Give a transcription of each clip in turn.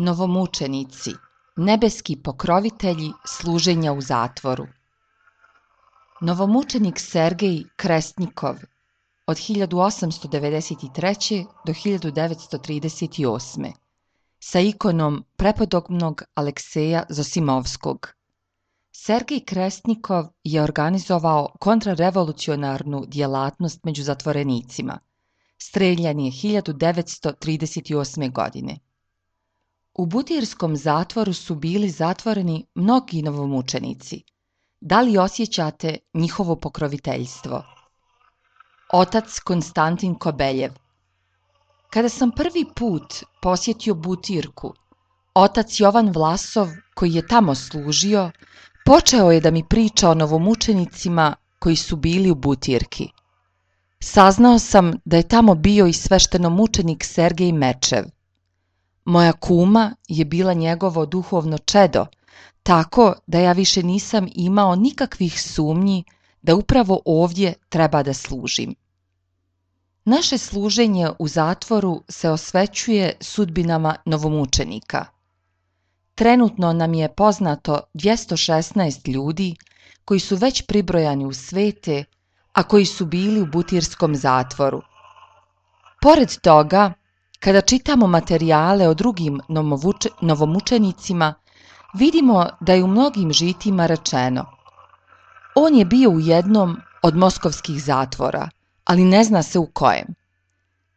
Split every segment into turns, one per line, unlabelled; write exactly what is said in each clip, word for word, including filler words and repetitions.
Novomučenici, nebeski pokrovitelji služenja u zatvoru. Novomučenik Sergej Kresnikov od hiljadu osamsto devedeset treće. do hiljadu devetsto trideset osme. sa ikonom prepodobnog Alekseja Zosimovskog. Sergej Kresnikov je organizovao kontrarevolucionarnu djelatnost među zatvorenicima. Streljan je hiljadu devetsto trideset osme. godine. U Butirskom zatvoru su bili zatvoreni mnogi novomučenici. Da li osjećate njihovo pokroviteljstvo? Otac Konstantin Kobeljev. Kada sam prvi put posjetio Butirku, otac Jovan Vlasov, koji je tamo služio, počeo je da mi priča o novomučenicima koji su bili u Butirki. Saznao sam da je tamo bio i sveštenomučenik Sergej Mečev. Moja kuma je bila njegovo duhovno čedo, tako da ja više nisam imao nikakvih sumnji da upravo ovdje treba da služim. Naše služenje u zatvoru se osvećuje sudbinama novomučenika. Trenutno nam je poznato dvjesto šesnaest ljudi koji su već pribrojani u svete, a koji su bili u Butirskom zatvoru. Pored toga, kada čitamo materijale o drugim novomučenicima, vidimo da je u mnogim žitima rečeno: on je bio u jednom od moskovskih zatvora, ali ne zna se u kojem.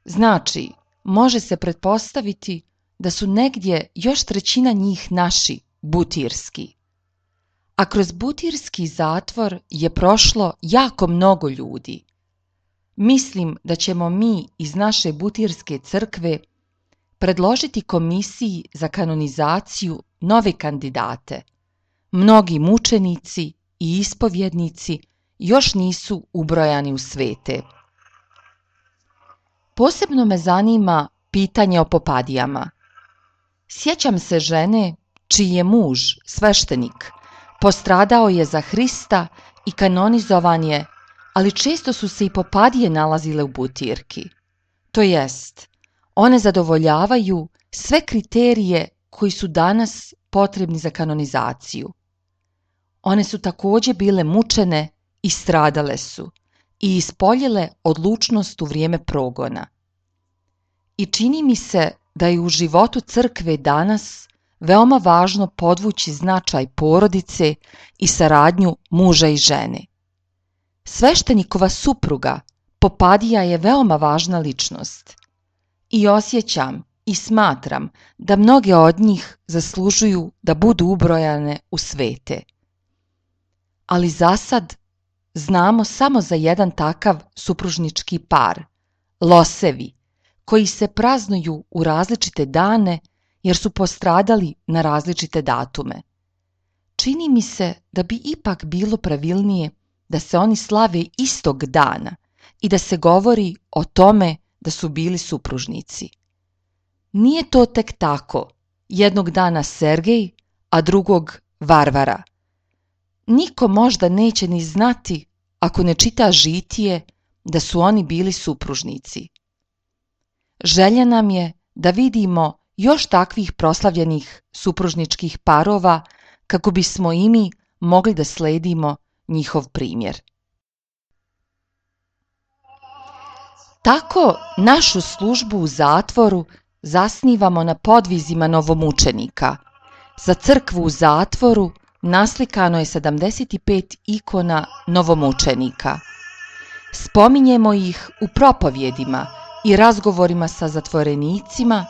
Znači, može se pretpostaviti da su negdje još trećina njih naši, butirski. A kroz Butirski zatvor je prošlo jako mnogo ljudi. Mislim da ćemo mi iz naše Butirske crkve predložiti komisiji za kanonizaciju nove kandidate. Mnogi mučenici i ispovjednici još nisu ubrojani u svete. Posebno me zanima pitanje o popadijama. Sjećam se žene čiji je muž, sveštenik, postradao je za Hrista i kanonizovan je, ali često su se i popadije nalazile u Butirki. To jest, one zadovoljavaju sve kriterije koji su danas potrebni za kanonizaciju. One su također bile mučene i stradale su i ispoljile odlučnost u vrijeme progona. I čini mi se da je u životu crkve danas veoma važno podvući značaj porodice i saradnju muža i žene. Sveštenikova supruga, popadija, je veoma važna ličnost. I osjećam i smatram da mnoge od njih zaslužuju da budu ubrojane u svete. Ali za sad znamo samo za jedan takav supružnički par, losevi, koji se praznuju u različite dane jer su postradali na različite datume. Čini mi se da bi ipak bilo pravilnije da se oni slave istog dana i da se govori o tome da su bili supružnici. Nije to tek tako, jednog dana Sergej, a drugog Varvara. Niko možda neće ni znati, ako ne čita žitije, da su oni bili supružnici. Želja nam je da vidimo još takvih proslavljenih supružničkih parova kako bismo i mi mogli da sledimo njihov primjer. Tako našu službu u zatvoru zasnivamo na podvizima novomučenika. Za crkvu u zatvoru naslikano je sedamdeset pet ikona novomučenika. Spominjemo ih u propovjedima i razgovorima sa zatvorenicima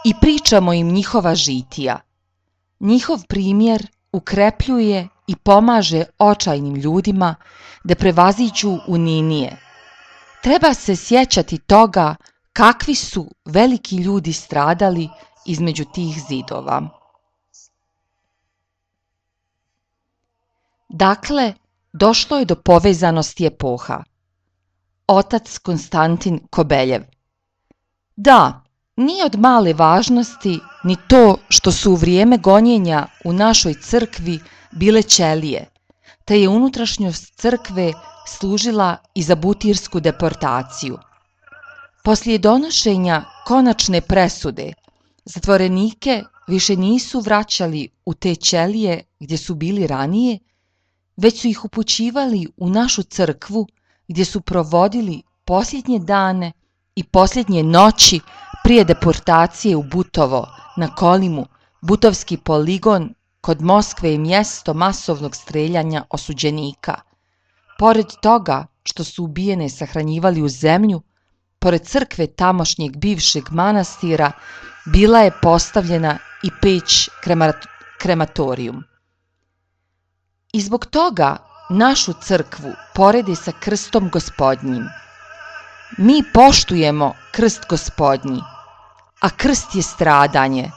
i pričamo im njihova žitija. Njihov primjer ukrepljuje i pomaže očajnim ljudima da prevaziđu uninije. Treba se sjećati toga kakvi su veliki ljudi stradali između tih zidova. Dakle, došlo je do povezanosti epoha. Otac Konstantin Kobeljev. Da, nije od male važnosti ni to što su u vrijeme gonjenja u našoj crkvi bile ćelije, te je unutrašnjost crkve služila i za butirsku deportaciju. Poslije donošenja konačne presude, zatvorenike više nisu vraćali u te ćelije gdje su bili ranije, već su ih upućivali u našu crkvu gdje su provodili posljednje dane i posljednje noći prije deportacije u Butovo, na Kolimu, Butovski poligon kod Moskve je mjesto masovnog streljanja osuđenika. Pored toga što su ubijene sahranjivali u zemlju, pored crkve tamošnjeg bivšeg manastira bila je postavljena i peć krematorijum. I zbog toga našu crkvu poredi sa krstom Gospodnjim. Mi poštujemo krst Gospodnji, a krst je stradanje,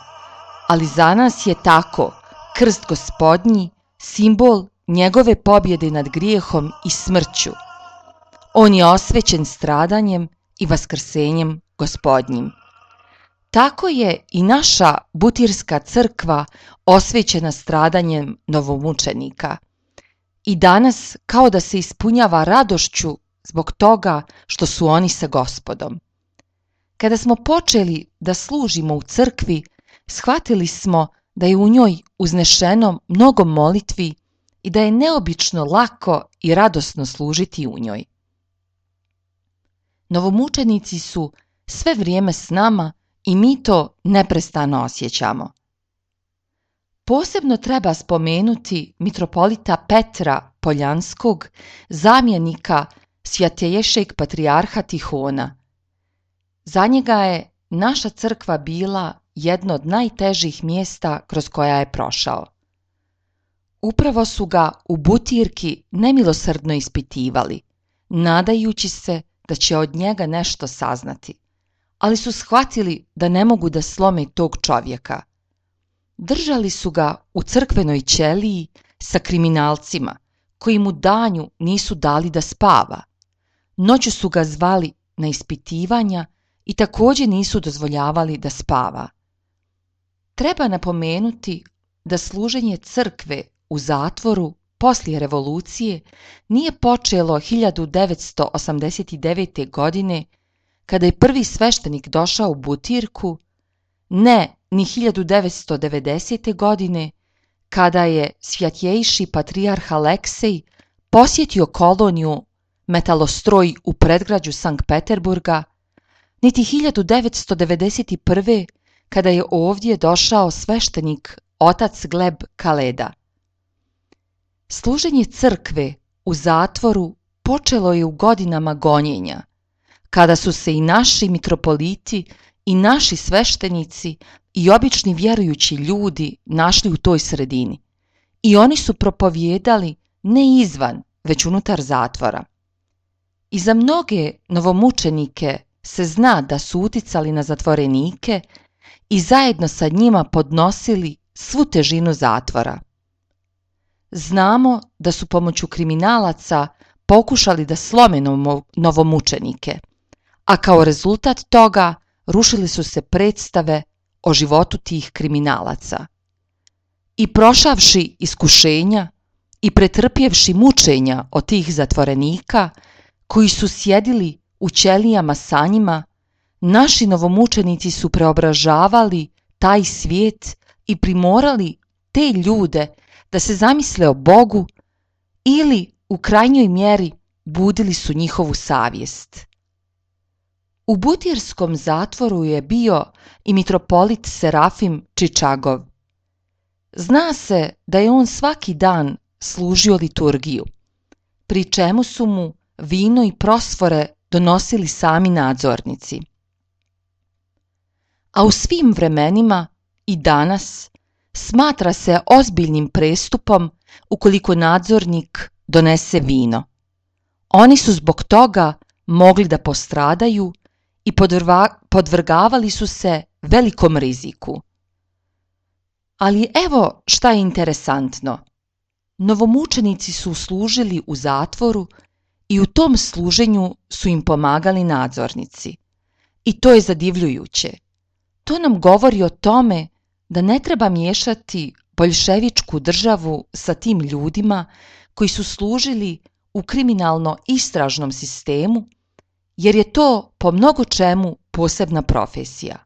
ali za nas je tako krst Gospodnji simbol njegove pobjede nad grijehom i smrću. On je osvećen stradanjem i vaskrsenjem Gospodnjim. Tako je i naša Butirska crkva osvećena stradanjem novomučenika. I danas kao da se ispunjava radošću zbog toga što su oni sa Gospodom. Kada smo počeli da služimo u crkvi, shvatili smo da je u njoj uznešeno mnogo molitvi i da je neobično lako i radosno služiti u njoj. Novomučenici su sve vrijeme s nama i mi to neprestano osjećamo. Posebno treba spomenuti mitropolita Petra Poljanskog, zamjenika Svjatejšeg patrijarha Tihona. Za njega je naša crkva bila jedno od najtežih mjesta kroz koja je prošao. Upravo su ga u Butirki nemilosrdno ispitivali, nadajući se da će od njega nešto saznati, ali su shvatili da ne mogu da slome tog čovjeka. Držali su ga u crkvenoj ćeliji sa kriminalcima, koji mu danju nisu dali da spava. Noću su ga zvali na ispitivanja i također nisu dozvoljavali da spava. Treba napomenuti da služenje crkve u zatvoru poslije revolucije nije počelo hiljadu devetsto osamdeset devete. godine, kada je prvi sveštenik došao u Butirku, ne ni hiljadu devetsto devedesete. godine, kada je Svjatjejši patrijarh Aleksej posjetio koloniju Metalostroj u predgrađu Sankt Peterburga, niti hiljadu devetsto devedeset prve. kada je ovdje došao sveštenik otac Gleb Kaleda. Služenje crkve u zatvoru počelo je u godinama gonjenja, kada su se i naši mitropoliti i naši sveštenici i obični vjerujući ljudi našli u toj sredini. I oni su propovijedali ne izvan, već unutar zatvora. I za mnoge novomučenike se zna da su uticali na zatvorenike i zajedno sa njima podnosili svu težinu zatvora. Znamo da su pomoću kriminalaca pokušali da slome novomučenike, a kao rezultat toga rušili su se predstave o životu tih kriminalaca. I prošavši iskušenja i pretrpjevši mučenja od tih zatvorenika koji su sjedili u ćelijama sa njima, naši novomučenici su preobražavali taj svijet i primorali te ljude da se zamisle o Bogu ili u krajnjoj mjeri budili su njihovu savjest. U Butirskom zatvoru je bio i mitropolit Serafim Čičagov. Zna se da je on svaki dan služio liturgiju, pri čemu su mu vino i prosfore donosili sami nadzornici. A u svim vremenima i danas smatra se ozbiljnim prestupom ukoliko nadzornik donese vino. Oni su zbog toga mogli da postradaju i podvrgavali su se velikom riziku. Ali evo šta je interesantno. Novomučenici su služili u zatvoru i u tom služenju su im pomagali nadzornici. I to je zadivljujuće. To nam govori o tome da ne treba miješati boljševičku državu sa tim ljudima koji su služili u kriminalno-istražnom sistemu, jer je to po mnogo čemu posebna profesija.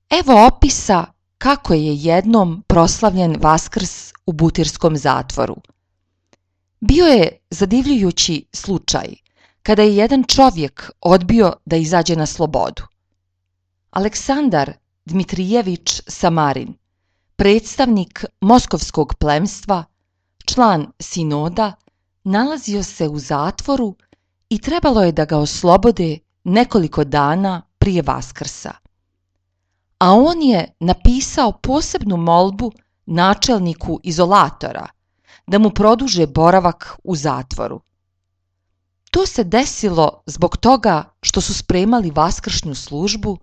Evo opisa kako je jednom proslavljen Vaskrs u butirskom zatvoru. Bio je zadivljujući slučaj kada je jedan čovjek odbio da izađe na slobodu. Aleksandar Dmitrijević Samarin, predstavnik moskovskog plemstva, član sinoda, nalazio se u zatvoru i trebalo je da ga oslobode nekoliko dana prije Vaskrsa. A on je napisao posebnu molbu načelniku izolatora da mu produže boravak u zatvoru. To se desilo zbog toga što su spremali vaskršnju službu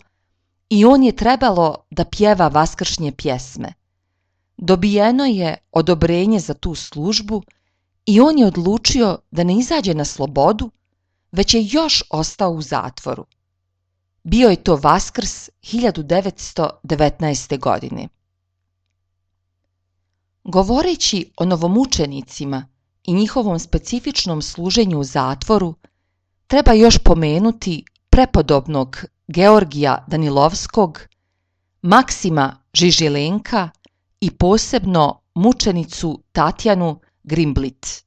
i on je trebalo da pjeva vaskršnje pjesme. Dobijeno je odobrenje za tu službu i on je odlučio da ne izađe na slobodu, već je još ostao u zatvoru. Bio je to Vaskrs hiljadu devetsto devetnaeste. godine. Govoreći o novomučenicima i njihovom specifičnom služenju u zatvoru, treba još pomenuti prepodobnog Georgija Danilovskog, Maksima Žižilenka i posebno mučenicu Tatjanu Grimblit.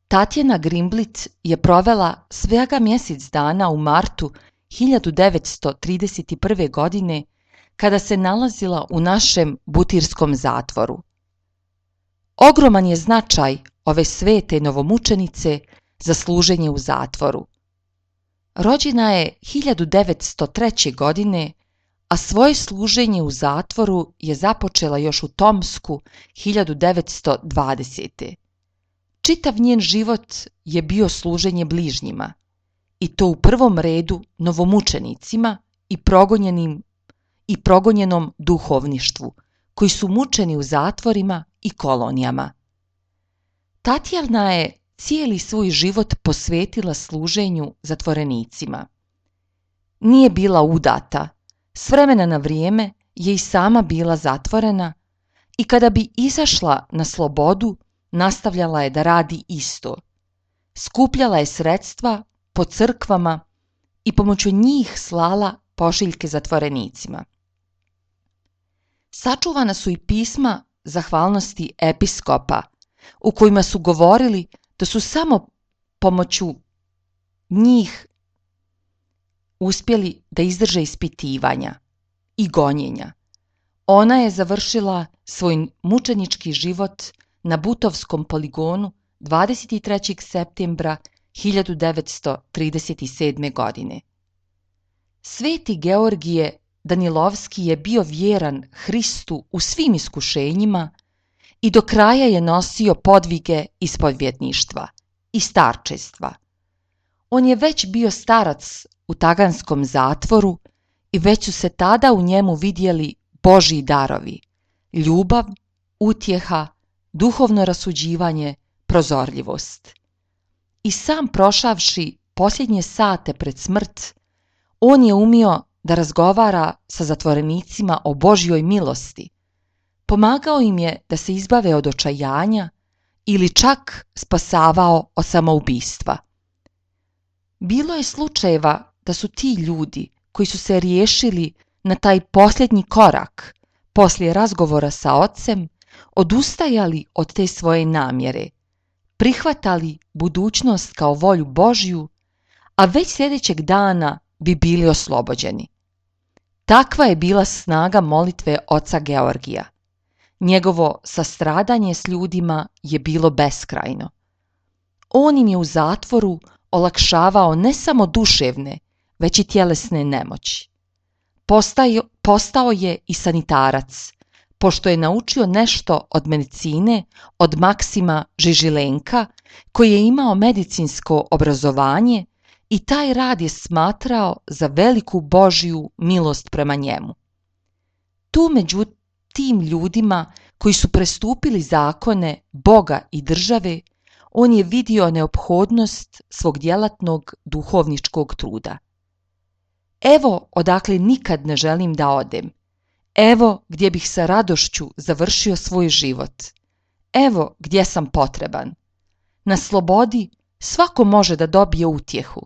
Tatjana Grimblit je provela svega mjesec dana u martu hiljadu devetsto trideset prve. godine kada se nalazila u našem butirskom zatvoru. Ogroman je značaj ove svete novomučenice za služenje u zatvoru. Rođena je hiljadu devetsto treće. godine, a svoje služenje u zatvoru je započela još u Tomsku hiljadu devetsto dvadesete. Čitav njen život je bio služenje bližnjima, i to u prvom redu novomučenicima i progonjenim i progonjenom duhovništvu, koji su mučeni u zatvorima i kolonijama. Tatjana je cijeli svoj život posvetila služenju zatvorenicima. Nije bila udata, s vremena na vrijeme je i sama bila zatvorena i kada bi izašla na slobodu, nastavljala je da radi isto. Skupljala je sredstva po crkvama i pomoću njih slala pošiljke zatvorenicima. Sačuvana su i pisma zahvalnosti episkopa, u kojima su govorili da su samo pomoću njih uspjeli da izdrže ispitivanja i gonjenja. Ona je završila svoj mučenički život na Butovskom poligonu dvadeset trećeg septembra hiljadu devetsto trideset sedme. godine. Sveti Georgije Danilovski je bio vjeran Hristu u svim iskušenjima i do kraja je nosio podvige ispovjedništva i starčestva. On je već bio starac u taganskom zatvoru i već su se tada u njemu vidjeli Božji darovi, ljubav, utjeha, duhovno rasuđivanje, prozorljivost. I sam prošavši posljednje sate pred smrt, on je umio da razgovara sa zatvorenicima o Božjoj milosti. Pomagao im je da se izbave od očajanja ili čak spasavao od samoubistva. Bilo je slučajeva da su ti ljudi koji su se riješili na taj posljednji korak poslije razgovora sa ocem odustajali od te svoje namjere, prihvatali budućnost kao volju Božju, a već sljedećeg dana bi bili oslobođeni. Takva je bila snaga molitve oca Georgija. Njegovo sastradanje s ljudima je bilo beskrajno. On im je u zatvoru olakšavao ne samo duševne, već i tjelesne nemoći. Postao, postao je i sanitarac, pošto je naučio nešto od medicine od Maksima Žižilenka, koji je imao medicinsko obrazovanje i taj rad je smatrao za veliku Božju milost prema njemu. Tu među tim ljudima koji su prestupili zakone Boga i države, on je vidio neophodnost svog djelatnog duhovničkog truda. Evo odakle nikad ne želim da odem. Evo gdje bih sa radošću završio svoj život. Evo gdje sam potreban. Na slobodi svako može da dobije utjehu.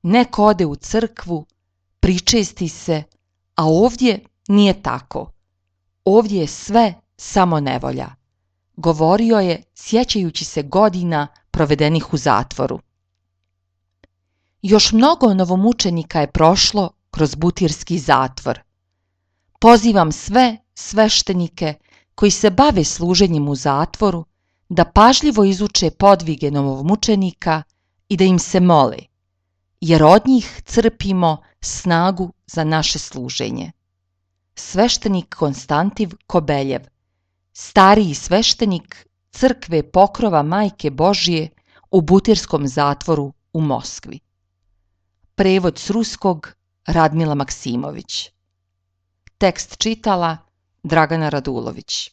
Neko ode u crkvu, pričesti se, a ovdje nije tako. Ovdje je sve samo nevolja, govorio je sjećajući se godina provedenih u zatvoru. Još mnogo novomučenika je prošlo kroz butirski zatvor. Pozivam sve sveštenike koji se bave služenjem u zatvoru da pažljivo izuče podvige novomučenika i da im se mole, jer od njih crpimo snagu za naše služenje. Sveštenik Konstantiv Kobeljev, stariji sveštenik crkve Pokrova Majke Božije u butirskom zatvoru u Moskvi. Prevod s ruskog Radmila Maksimović. Tekst čitala Dragana Radulović.